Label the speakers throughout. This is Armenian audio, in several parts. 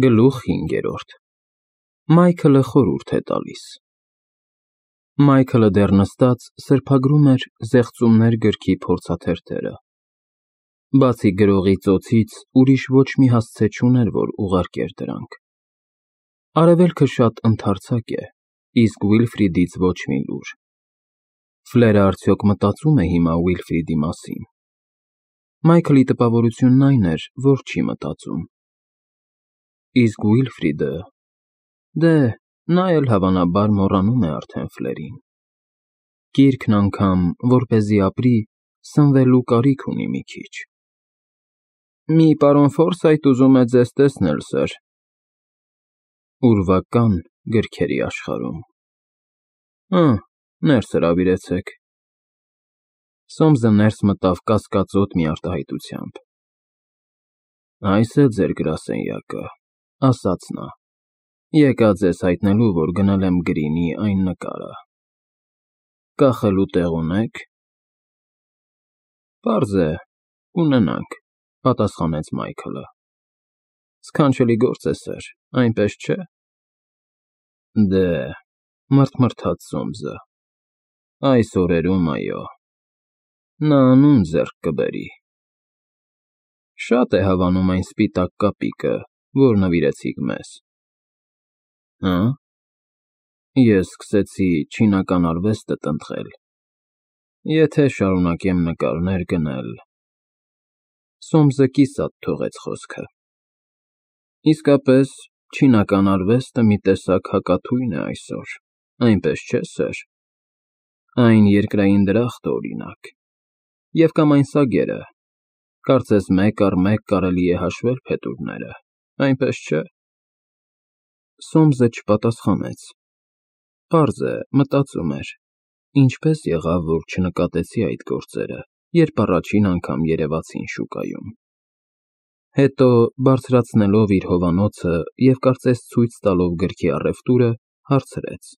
Speaker 1: Գլուխ 5 Մայքլը խորհուրդ է տալիս Մայքլը դեռ նստած սրբագրում էր «Զեղծումներ» գրքի փորձաթերթերը։ Բացի գրողի ծոցից ուրիշ ոչ մի հասցե չուներ, որ ուղարկեր դրանք։ Արևելքը շատ ընդարձակ է, իսկ Ուիլֆրիդից ոչ մի լուր։ Ֆլերը արդյոք մտածում է հիմա Ուիլֆրիդի մասին։ Մայքլի տպավորությունն այն էր, որ չի մտածում։ Իսկ Ուիլֆրիդը… Դե, նա էլ հավանաբար մոռանում է արդեն Ֆլերին։ Կիրքն անգամ, որպեսզի ապրի, սնվելու կարիք ունի մի քիչ։ Մի պարոն Ֆորսայթ ուզում է ձեզ տեսնել, սըր։ Ուրվական գրքերի աշխարհում։ Ներս հրավիրեցեք։ Սոմսը ներս մտավ կասկածոտ մի արտահայտությամբ։ Այս է ձեր գրասենյակը, ասաց նա։ Եկա ձեզ հայտնելու, որ գնել եմ Գրինի այն նկարը։ Կախելու տեղ ունե՞ք։ Պարզ է, կունենանք, պատասխանեց Մայքլը։ Սքանչելի գործ է, սըր, այնպես չէ։ Դե, մռթմռթաց Սոմսը։ Այս օրերում, այո։ Նա անուն ձեռք կբերի։ Շատ է հավանում այն սպիտակ կապիկը, որ նվիրեցիք մեզ։ Հը՞։ Ես սկսեցի չինական արվեստը տնտղել։ Եթե շարունակեմ նկարներ գնել… Սոմսը կիսատ թողեց խոսքը։ Իսկապես, չինական արվեստը մի տեսակ հակաթույն է այսօր, այնպես չէ՞, սըր։ Այն երկրային դրախտ է, օրինակ։ Եվ կամ այն սագերը, կարծես մեկ առ մեկ կարելի է հաշվել փետուրները, այնպես չէ։ Սոմսը չպատասխանեց։ Պարզ է, մտածում էր. ինչպես եղավ, որ չնկատեցի այդ գործերը, երբ առաջին անգամ երևացին շուկայում։ Հետո, բարձրացնելով իր հովանոցը և կարծես ցույց տալով գրքի առևտուրը, հարցրեց.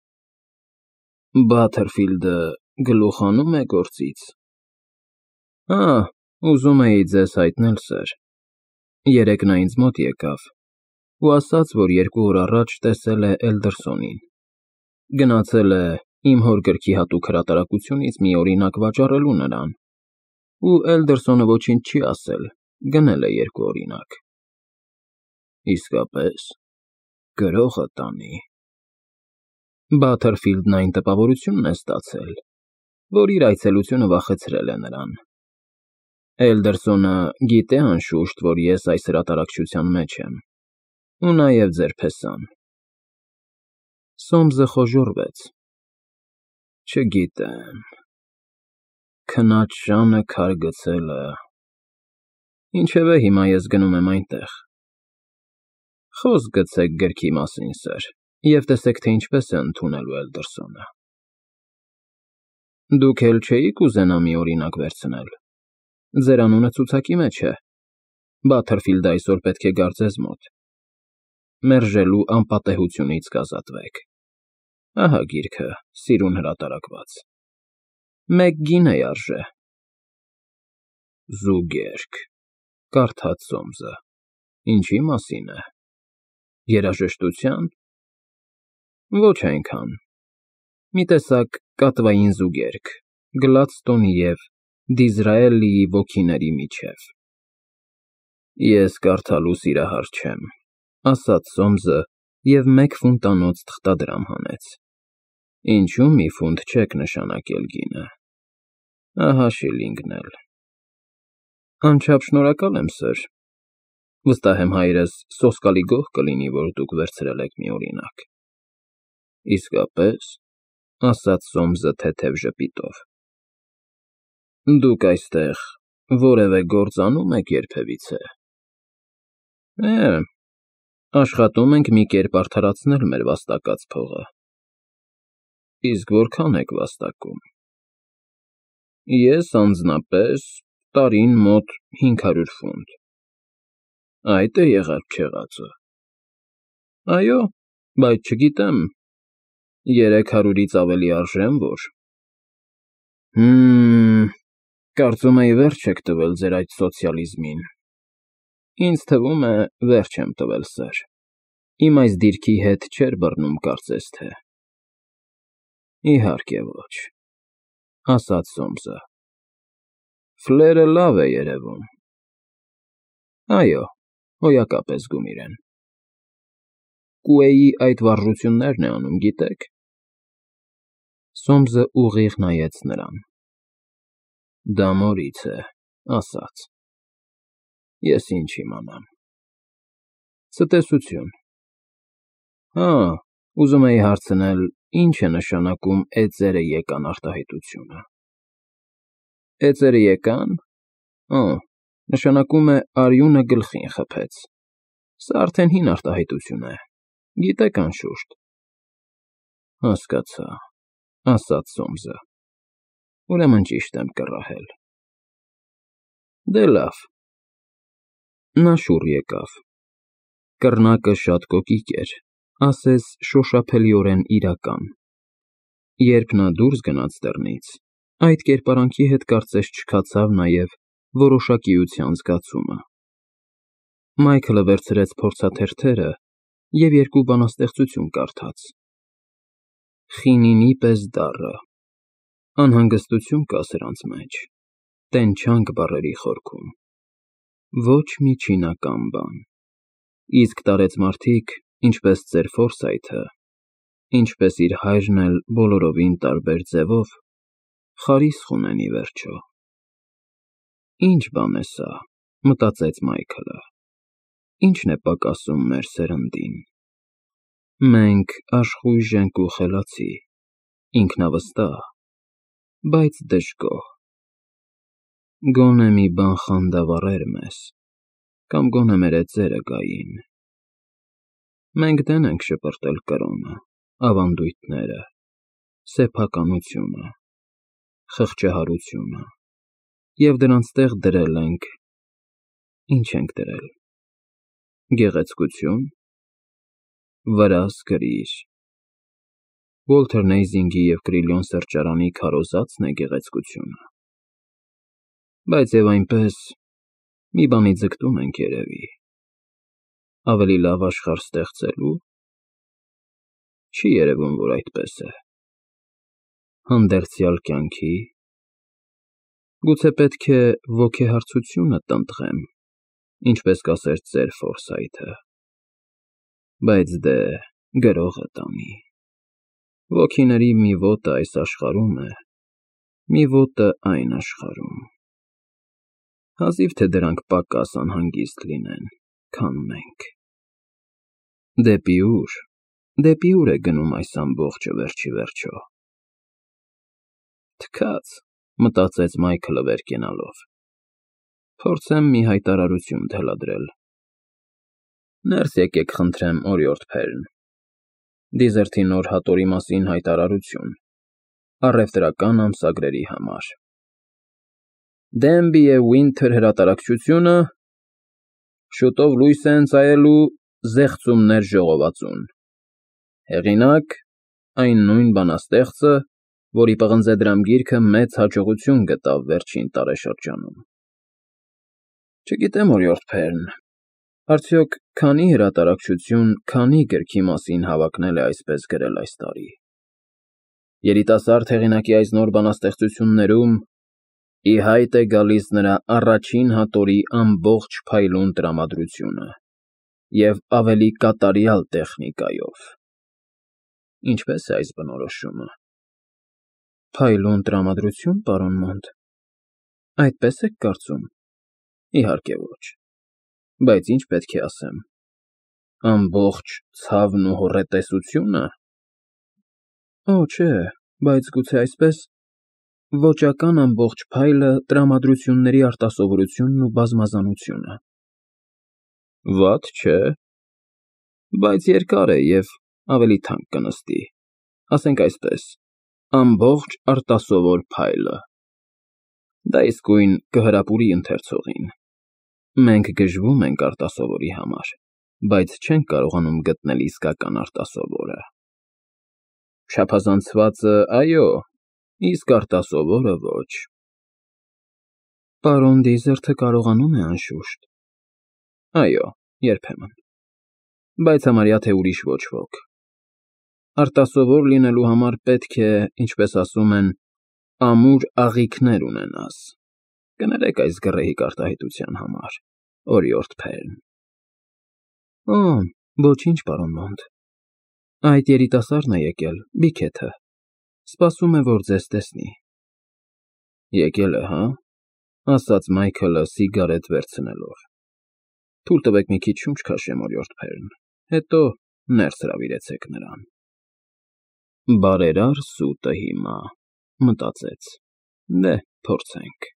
Speaker 1: Բաթերֆիլդը գլուխանո՞ւմ է գործից։ Ուզում էի ձեզ հայտնել, սըր։ Երեկ նա ինձ մոտ եկավ ու ասաց, որ 2 օր առաջ տեսել է Էլդերսոնին։ Գնացել է իմ հոր գրքի հատուկ հրատարակությունից մի օրինակ վաճառելու նրան, ու Էլդերսոնը ոչինչ չի ասել, գնել է 2 օրինակ։ Իսկապես, գրողը տանի։ Բաթերֆիլդն այն տպավորությունն է ստացել, որ իր այցելությունը վախեցրել է նրան։ Էլդերսոնը գիտե անշուշտ, որ ես այս հրատարակչության մեջ եմ, ու նաև ձեր փեսան։ Սոմսը խոժոռվեց։ Չգիտեմ… Քնած շանը քար գցելը… Ինչևէ, հիմա ես գնում եմ այնտեղ։ Խոսք գցեք գրքի մասին, սըր, և տեսեք, թե ինչպես է ընդունելու Էլդերսոնը։ Դուք էլ չէի՞ք ուզենա մի օրինակ վերցնել։ Ձեր անունը ցուցակի մեջ է։ Բաթերֆիլդը այսօր պետք է գար ձեզ մոտ։ Մերժելու անպատեհությունից կազատվեք։ Ահա գիրքը, սիրուն հրատարակված։ 1 գինեյ արժե։ Զուգերգ, կարդաց Սոմսը։ Ինչի մասին է։ Երաժշտության։ Ոչ այնքան։ Մի տեսակ կատվային զուգերգ, Գլադստոնի և Դիզրայելիի ոգիների միջև։ Ես կարդալու սիրահար չեմ, ասաց Սոմսը և 1 ֆունտանոց թղթադրամ հանեց։ Ինչու՞ մի ֆունտ չեք նշանակել գինը։ Ահա շիլինգն էլ։ Անչափ շնորհակալ եմ, սըր։ Վստահ եմ հայրս սոսկալի գոհ կլինի, որ դուք վերցրել եք մի օրինակ։ Իսկապես, ասաց Սոմսը թեթև ժպիտով։ Դուք այստեղ որևէ գործ անում եք երբևիցե։ Աշխատում ենք մի կերպ արդարացնել մեր վաստակած փողը։ Իսկ որքան եք վաստակում։ Ես անձնապես տարին մոտ 500 ֆունտ։ Այդ է եղած֊չեղածը։ Այո, բայց չգիտեմ, 300-ից ավելի արժե՞ն որ։ Կարծում էի վերջ եք տվել ձեր այդ սոցիալիզմին։ Ինձ թվում է, վերջ եմ տվել, սըր։ Իմ այս դիրքի հետ չէր բռնում, կարծես թե։ Իհարկե ոչ, ասաց Սոմսը։ Ֆլերը լավ է երևում։ Այո, հոյակապ է զգում իրեն։ Կուեի այդ վարժություններն է անում, գիտեք։ Սոմսը ուղիղ նայեց նրան։ Դա մորից է, ասաց։ Ես ինչ իմանամ։ Ցտեսություն։ Հա, ուզում էի հարցնել, ինչ է նշանակում էծերը եկան արտահայտությունը։ Էծերը եկան։ Նշանակում է արյունը գլխին խփեց։ Սա արդեն հին արտահայտություն է։ Գիտեք անշուշտ։ Հասկացա, ասաց Սոմսը։ Ուրեմն ճիշտ եմ կռահել։ Դե լավ։ Նա շուռ եկավ։ Կռնակը շատ կոկիկ էր, ասես շոշափելիորեն իրական։ Երբ նա դուրս գնաց դռնից, այդ կերպարանքի հետ կարծես չքացավ նաև որոշակիության զգացումը։ Մայքլը վերցրեց փորձաթերթերը և երկու բանաստեղծություն կարդաց։ Խինինի պես դառը, անհանգստություն կա սրանց մեջ, տենչանք բառերի խորքում, ոչ միջինական բան, իսկ տարեցմարտիկ, ինչպես ծեր Ֆորսայթը, ինչպես իր հայրն էլ բոլորովին տարբեր ձևով, խարիսխ ունեն ի վերջո։ Ինչ բան է սա, մտածեց Մայքլը, ինչն է պակասում մեր սերնդին։ Մենք աշխույժ ենք ու խելացի, ինքնավստահ, բայց դժգոհ։ Գոնե մի բան խանդավառեր մեզ, կամ գոնե մեր էծերը գային։ Մենք դեն ենք շպրտել կրոնը, ավանդույթները, սեփականությունը, խղճահարությունը և դրանց տեղ դրել ենք… Ինչ ենք դրել… Գեղեցկություն, վրաս գրիր… Ուոլթեր Նեյզինգի և Կրիլիոն սրճարանի քարոզածն է գեղեցկությունը։ Բայց և այնպես, մի բանի ձգտում ենք երևի… Ավելի լավ աշխարհ ստեղծելու… Չի երևում, որ այդպես է։ Հանդերձյալ կյանքի… Գուցե պետք է ոգեհարցությունը տնտղեմ, ինչպես կասեր ծեր Ֆորսայթը։ Բայց դե, գրողը տանի… Ոգիների մի ոտը այս աշխարհում է, մի ոտը այն աշխարհում… Հազիվ թե դրանք պակաս անհանգիստ լինեն, քան մենք… Դեպի ուր է գնում այս ամբողջը վերջ ի վերջո… Թքած, մտածեց Մայքլը վեր կենալով, փորձեմ մի հայտարարություն թելադրել… Ներս եկեք խնդրեմ, օրիորդ Փերն, Դիզերթի նոր հատորի մասին հայտարարություն, առևտրական ամսագրերի համար… Դենբի և Ուինթեր հրատարակչությունը շուտով լույս է ընծայելու «Զեղծումներ» ժողովածուն… Հեղինակ՝ այն նույն բանաստեղծը, որի պղնձեդրամ գիրքը մեծ հաջողություն գտավ վերջին տարեշրջանում… Չգիտեմ, օրիորդ Փերն, արդյոք քանի հրատարակչություն քանի գրքի մասին հավակնել է այսպես գրել այս տարի… Երիտասարդ հեղինակի այս նոր բանաստեղծություններում ի հայտ է գալիս նրա առաջին հատորի ամբողջ փայլուն տրամադրությունը և ավելի կատարյալ տեխնիկայով… Ինչպե՞ս է այս բնորոշումը… Փայլուն տրամադրություն, պարոն Մոնտ, այդպե՞ս եք կարծում… Իհարկե ոչ… Բայց ինչ պետք է ասեմ… Ամբողջ ցավն ու հոռետեսությո՞ւնը… Օ, չէ, բայց գուցե այսպես… Ոճական ամբողջ փայլը տրամադրությունների արտասովորությունն ու բազմազանությունը… Վատ չէ… Բայց երկար է և ավելի թանկ կնստի… Ասենք այսպես, ամբողջ արտասովոր փայլը… Դա իսկույն կհրապուրի ընթերցողին… Մենք գժվում ենք արտասովորի համար, բայց չենք կարողանում գտնել իսկական արտասովորը… Չափազանցվածը՝ այո, իսկ արտասովորը՝ ոչ… Պարոն Դիզերթը կարողանում է, անշուշտ… Այո, երբեմն… բայց համարյա թե ուրիշ ոչ ոք։ Արտասովոր լինելու համար պետք է, ինչպես ասում են, ամուր աղիքներ ունենաս։ Կներեք այս գռեհիկ արտահայտության համար, օրիորդ Փերն։ Օ, ոչինչ, պարոն Մոնտ։ Այդ երիտասարդն է եկել, Բիքեթը։ Սպասում է, որ ձեզ տեսնի։ Եկել է, հա՞, ասաց Մայքլը սիգարետ վերցնելով։ Թույլ տվեք մի քիչ շունչ քաշեմ, օրիորդ Փերն, հետո ներս հրավիրեցեք նրան։ Բարերար սուտը հիմա, մտածեց։ Դե, փորձենք։